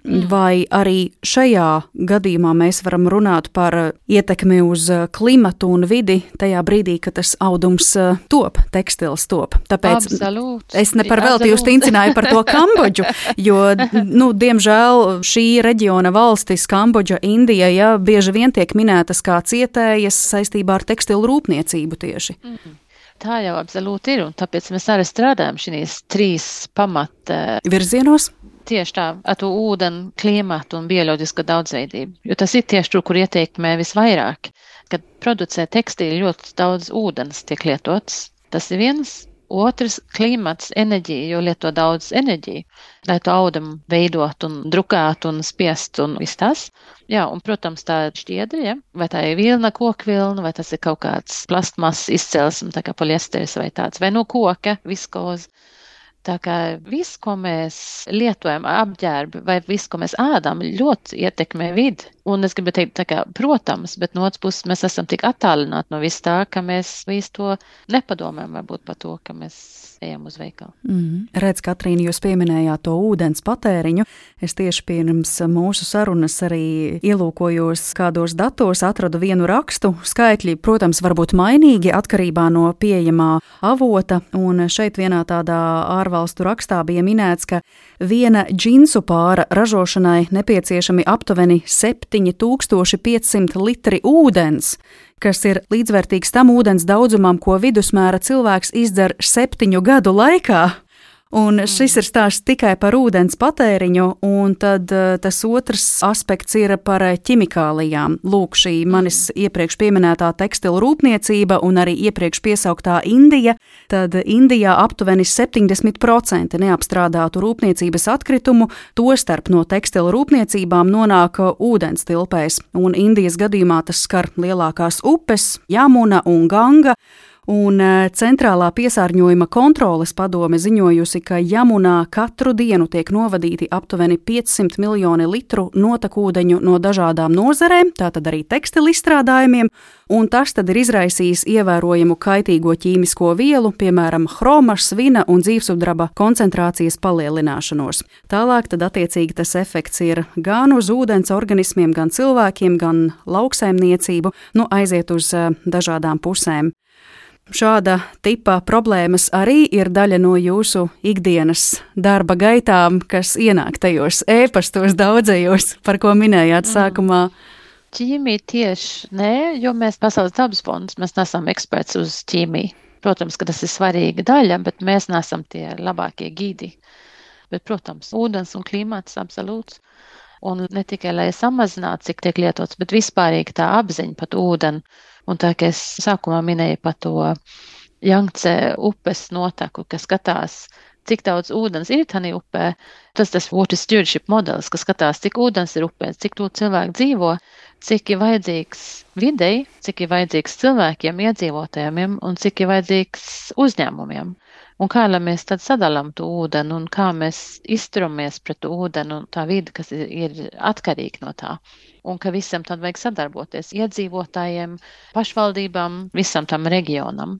vai arī šajā gadījumā mēs varam runāt par ietekmi uz klimatu un vidi tajā brīdī, kad tas audums top, tekstils top. Tāpēc absolūti, es ne par velti jūs tincināju par to Kambodžu, jo, nu, diemžēl šī reģiona valstis, Kambodža, Indija, ja, bieži vien tiek minētas kā cietējas saistībā ar tekstilu rūpniecību tieši. Mm. Tā jau absolūti ir, un tāpēc mēs arī strādājam šīs trīs pamata virzienos. Tieši tā, ar to ūdeni, klimatu un bioloģisko daudzveidību, jo tas ir tieši tur, kur ieteikmē visvairāk, kad producē tekstīli ļoti daudz ūdens tiek lietots. Tas ir viens. Otrs, klimats, enerģija, jo lieto daudz enerģiju, lai to audumu veidot un drukāt un spiest un viss tas. Jā, un, protams, tā ir šķiedra, ja? Vai tā ir vilna, kokvilna, vai tas ir kaut kāds plastmasas izcelsme, tā kā poliesteris vai tāds, vai no koka, viskoza. Tā kā viss, ko mēs lietojam apģērbi vai viss, ko mēs ēdam, ļoti ietekmē vidi. Un es gribu teikt, tā kā, protams, bet no otras puses mēs esam tik attālināti no viss tā, ka mēs visu to nepadomājam varbūt par to, ka mēs ejam uz veikalu. Mm. Redz, Katrīna, jūs pieminējāt to ūdens patēriņu. Es tieši pirms mūsu sarunas arī ielūkojos kādos datos, atradu vienu rakstu. Skaitļi, protams, var būt mainīgi atkarībā no pieejamā avota, un šeit vienā tādā ārvalstu rakstā bija minēts, ka viena džinsu pāra ražošanai nepieciešami aptuveni septiņi tūkstoši piecsimt litri ūdens, kas ir līdzvērtīgs tam ūdens daudzumam, ko vidusmēra cilvēks izdzer septiņu gadu laikā. Un šis ir stāsts tikai par ūdens patēriņu, un tad tas otrs aspekts ir par ķimikālijām. Lūk, šī manis iepriekš pieminētā tekstilu rūpniecība un arī iepriekš piesauktā Indija, tad Indijā aptuveni septiņdesmit procenti neapstrādātu rūpniecības atkritumu, tostarp no tekstilu rūpniecībām nonāk ūdens tilpēs, un Indijas gadījumā tas skar lielākās upes, Jamuna un Ganga. Un centrālā piesārņojuma kontroles padome ziņojusi, ka Jamunā katru dienu tiek novadīti aptuveni piecsimt miljoni litru notekūdeņu no dažādām nozarēm, tātad arī tekstilu izstrādājumiem, un tas tad ir izraisījis ievērojamu kaitīgo ķīmisko vielu, piemēram, hroma, svina un dzīvsudraba koncentrācijas palielināšanos. Tālāk tad attiecīgi tas efekts ir gan uz ūdens organismiem, gan cilvēkiem, gan lauksaimniecību, nu aiziet uz dažādām pusēm. Šāda tipa problēmas arī ir daļa no jūsu ikdienas darba gaitām, kas ienāk tajos ēpastos daudzajos, par ko minējāt sākumā. Ķīmija tieši nē, jo mēs Pasaules dabas fonds, mēs nesam eksperts uz ķīmiju. Protams, ka tas ir svarīga daļa, bet mēs nesam tie labākie gīdi. Bet, protams, ūdens un klimats absolūts. Un ne tikai, lai samazinātu, cik tiek lietots, bet vispārīgi tā apziņa pat ūdeni. Un tā, ka es sākumā minēju par to Jangtse upes noteku, kas skatās, cik daudz ūdens ir tādā upē. Tas tas water stewardship modelis, kas skatās, cik ūdens ir upē, cik tur cilvēki dzīvo, cik ir vajadzīgs videi, cik ir vajadzīgs cilvēkiem, iedzīvotājiem un cik ir vajadzīgs uzņēmumiem. Un kā lai mēs tad sadalām to ūdeni un kā mēs izturamies pret ūdeni un tā vide, kas ir, ir atkarīga no tā. Un ka visam tad vajag sadarboties iedzīvotājiem, pašvaldībām, visam tam reģionam,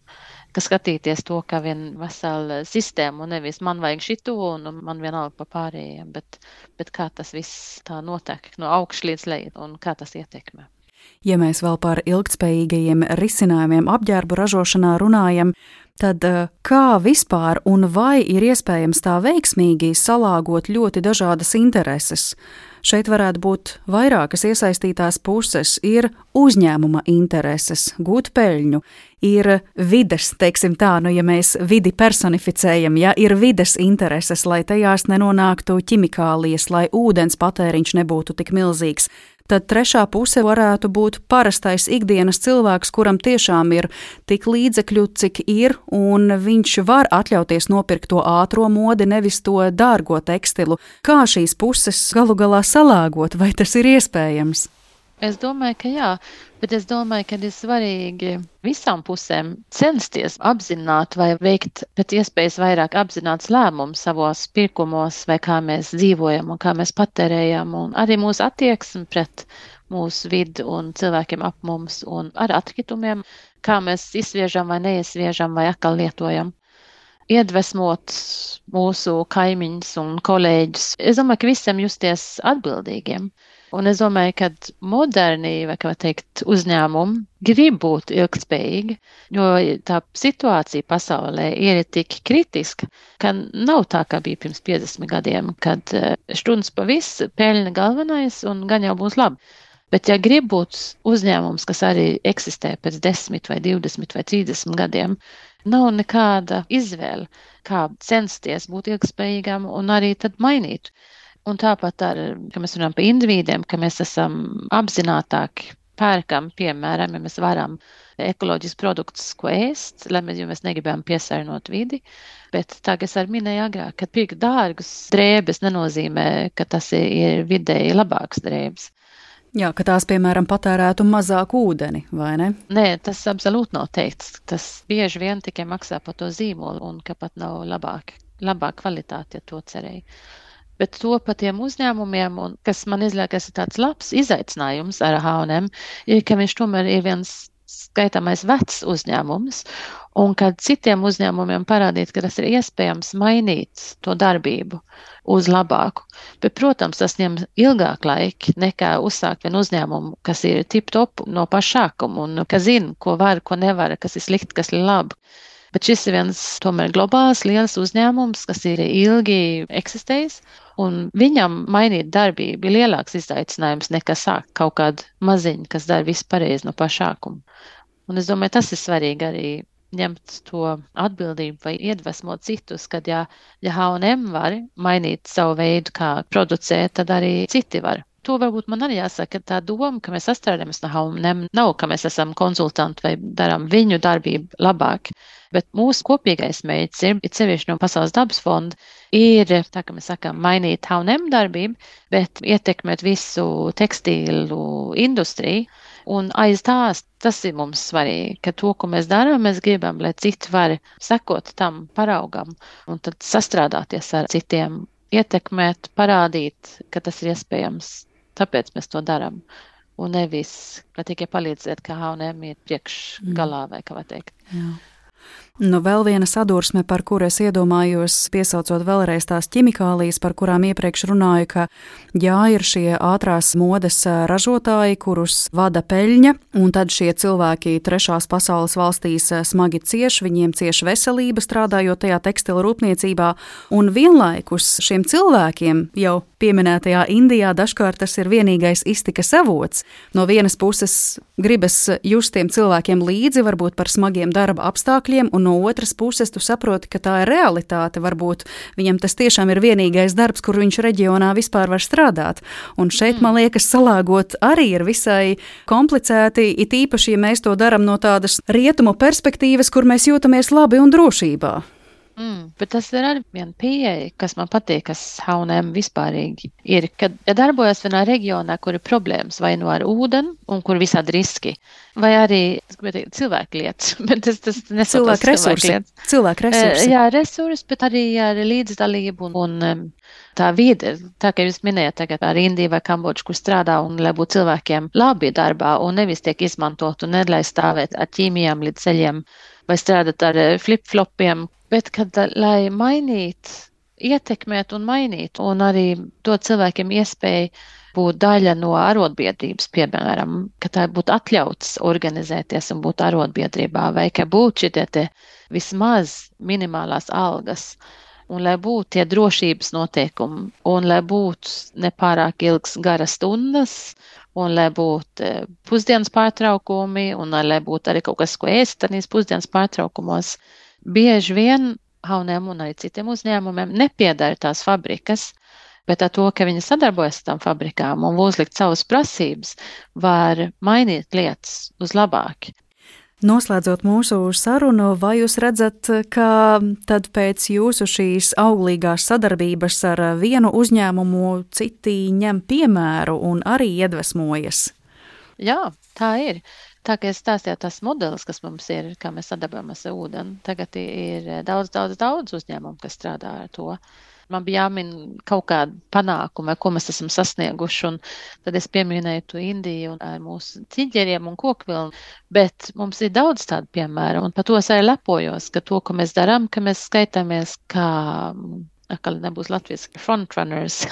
ka skatīties to, kā vien vesela sistēma un nevis man vajag šito un man vienalga pa pārējiem, bet, bet kā tas viss tā notiek no augšu līdz lejai un kā tas ietekmē. Ja mēs vēl par ilgtspējīgajiem risinājumiem apģērbu ražošanā runājam, tad kā vispār un vai ir iespējams tā veiksmīgi salāgot ļoti dažādas intereses? Šeit varētu būt vairākas iesaistītās puses. Ir uzņēmuma intereses, gūt peļņu, ir vides, teiksim tā, nu ja mēs vidi personificējam, ja ir vides intereses, lai tajās nenonāktu ķimikālijas, lai ūdens patēriņš nebūtu tik milzīgs. Tad trešā puse varētu būt parastais ikdienas cilvēks, kuram tiešām ir tik līdzekļu, cik ir, un viņš var atļauties nopirkt to ātro modi, nevis to dārgo tekstilu. Kā šīs puses galu galā salāgot, vai tas ir iespējams? Es domāju, ka jā, bet es domāju, ka ir svarīgi visām pusēm censties apzināt vai veikt pēc iespējas vairāk apzināts lēmumus savos pirkumos vai kā mēs dzīvojam un kā mēs patērējam un arī mūsu attieksmi pret mūsu vidu un cilvēkiem ap mums un ar atkritumiem, kā mēs izsviežam vai neizsviežam vai atkal lietojam. Iedvesmot mūsu kaimiņus un kolēģus. Es domāju, ka visiem justies atbildīgiem. Un es domāju, ka moderni, vai kā teikt, uzņēmumi grib būt ilgtspējīgi, jo tā situācija pasaulē ir tik kritiska, ka nav tā, kā bija pirms piecdesmit gadiem, kad štuns pa viss, peļņa galvenais un gan jau būs labi. Bet ja grib būt uzņēmums, kas arī eksistē pēc desmit vai divdesmit vai trīsdesmit gadiem, nav nekāda izvēle, kā censties būt ilgtspējīgām un arī tad mainīt. Un tāpat ar, ka mēs runājam par individiem, ka mēs esam apzinātāki, pērkam, piemēram, ja mēs varam ekoloģiskus produktus, ko ēst, lai mēs, jo mēs negribam piesārņot vidi. Bet tā, kas ar minēju agrāk, ka pirkt dārgus drēbes nenozīmē, ka tas ir vidēji labāks drēbes. Jā, ka tās, piemēram, patērētu mazāk ūdeni, vai ne? Nē, tas absolūti nav teikts. Tas bieži vien tikai maksā par to zīmolu un ka pat nav labāk, labāk kvalitāte, ja to cerēja. Bet to pa tiem uzņēmumiem, un kas man izliekas ir tāds labs izaicinājums ar H and M, ir, ka viņš tomēr ir viens skaitāmais vecs uzņēmums, un kad citiem uzņēmumiem parādīt, ka tas ir iespējams mainīt to darbību uz labāku. Bet, protams, tas ņem ilgāk laika nekā uzsākt vienu uzņēmumu, kas ir tip-top no paša sākuma, un kas zina, ko var, ko nevar, kas ir slikti, kas ir labi. Bet šis ir viens tomēr globāls, liels uzņēmums, kas ir ilgi eksistējis, un viņam mainīt darbību ir lielāks izaicinājums nekā sākt kaut kādu maziņu, kas dara visu pareizi no paša sākuma. Un es domāju, tas ir svarīgi arī ņemt to atbildību vai iedvesmot citus, kad ja, ja H and M var mainīt savu veidu, kā producēt, tad arī citi var. To varbūt man arī jāsaka, ka tā doma, ka mēs sastrādājamies no H and M, nav, ka mēs esam konsultanti vai darām viņu darbību labāk, bet mūsu kopīgais mērķis ir, ir sevišķi no Pasaules dabas fonda, ir, tā kā mēs sakām, mainīt H and M darbību, bet ietekmēt visu tekstīlu industriju, un aiz tās, tas ir mums svarīgi, ka to, ko mēs darām, mēs gribam, lai citi var sekot tam paraugam, un tad sastrādāties ar citiem, ietekmēt, parādīt, ka tas ir iespējams. Tāpēc mēs to darām. Un nevis, lai tikai palīdzēt, ka H and M ir priekšgalā vai kā var teikt. Jā. Nu, vēl viena sadursme, par kuru es iedomājos, piesaucot vēlreiz tās ķimikālijas, par kurām iepriekš runāju, ka jā, ir šie ātrās modes ražotāji, kurus vada peļņa, un tad šie cilvēki trešās pasaules valstīs smagi cieš, viņiem cieš veselība strādājot tajā tekstila rūpniecībā, un vienlaikus šiem cilvēkiem jau pieminētajā Indijā dažkārt tas ir vienīgais iztikas avots. No vienas puses gribas just tiem cilvēkiem līdzi, varbūt par smagiem darba apstākļiem, un no otras puses tu saproti, ka tā ir realitāte. Varbūt viņam tas tiešām ir vienīgais darbs, kur viņš reģionā vispār var strādāt. Un šeit, man liekas, salāgot arī ir visai komplicēti, it īpaši, ja mēs to daram no tādas rietumu perspektīvas, kur mēs jūtamies labi un drošībā. Mm, bet tas ir arī viena pieeja, kas man patīk, kas H and M vispārīgi ir, kad ja darbojas vienā reģionā, kur ir problēmas vai no ar ūdeni un kur visādi riski, vai arī, es gribētu teikt, cilvēku lietas, bet tas, tas nesaucās cilvēku resursi. Lietas. Cilvēku resursi. Jā, resursi, bet arī ar līdzdalību un, un tā vide, tā kā jūs minējat tagad ar Indiju vai Kambodžu, kur strādā un lai būtu cilvēkiem labi darbā un nevis tiek izmantot un nedlai stāvēt ar ķīmijām līdz ceļiem vai strādāt ar flip-flopiem, bet kad, lai mainīt, ietekmēt un mainīt, un arī dot cilvēkiem iespēju būt daļa no arotbiedrības, piemēram, ka tā būtu atļauts organizēties un būt arotbiedrībā, vai ka būtu šitie te vismaz minimālās algas, un lai būtu tie drošības noteikumi, un lai būtu nepārāk ilgs garas stundas, un lai būtu pusdienas pārtraukumi, un lai būtu arī kaut kas, ko ēst tanīs pusdienas pārtraukumos. Bieži vien H and M un arī citiem uzņēmumiem nepiedara tās fabrikas, bet ar to, ka viņi sadarbojas ar tām fabrikām un uzlikt savas prasības, var mainīt lietas uz labāk. Noslēdzot mūsu sarunu, vai jūs redzat, ka tad pēc jūsu šīs auglīgās sadarbības ar vienu uzņēmumu citi ņem piemēru un arī iedvesmojas? Jā, tā ir. Tā kā es stāstīju tas modelis, kas mums ir, kā mēs sadarbojamies ar ūdeni, tagad ir daudz, daudz, daudz uzņēmumu, kas strādā ar to. Man bija jāmin kaut kāda panākuma, ko mēs esam sasnieguši, un tad es pieminēju to Indiju un ar mūsu ķiģeriem un kokvilnu, bet mums ir daudz tādu piemēru, un par to es arī lepojos, ka to, ko mēs darām, ka mēs skaitāmies kā, akali nebūs Latvijas frontrunners.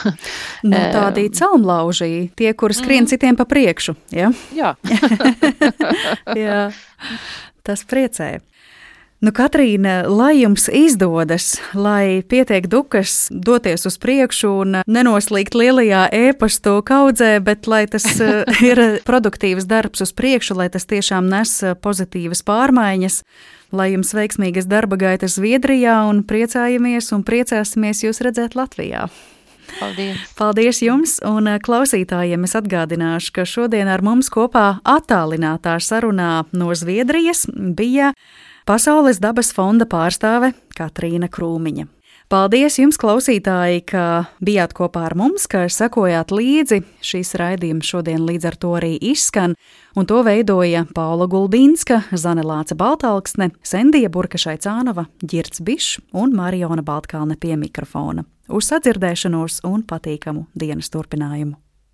Nu, tādi celmlauži, tie, kuri skrien mm. citiem pa priekšu, ja? Jā. Jā, tas priecē. Nu, Katrīna, lai jums izdodas, lai pietiek dukas doties uz priekšu un nenoslīgt lielajā ēpastu kaudzē, bet lai tas ir produktīvs darbs uz priekšu, lai tas tiešām nes pozitīvas pārmaiņas, lai jums veiksmīgas darba gaitas Zviedrijā un priecājamies un priecāsimies jūs redzēt Latvijā. Paldies. Paldies jums, un klausītājiem es atgādināšu, ka šodien ar mums kopā attālinātā sarunā no Zviedrijas bija Pasaules dabas fonda pārstāve Katrīna Krūmiņa. Paldies jums, klausītāji, ka bijāt kopā ar mums, ka sekojāt līdzi. Šīs raidījums šodien līdz ar to arī izskan, un to veidoja Paula Gulbīnska, Zane Lāce Baltalksne, Sendija Burkašai-Cānova, Ģirds Bišs un Mariona Baltkalne pie mikrofona. Uz sadzirdēšanos un patīkamu dienas turpinājumu!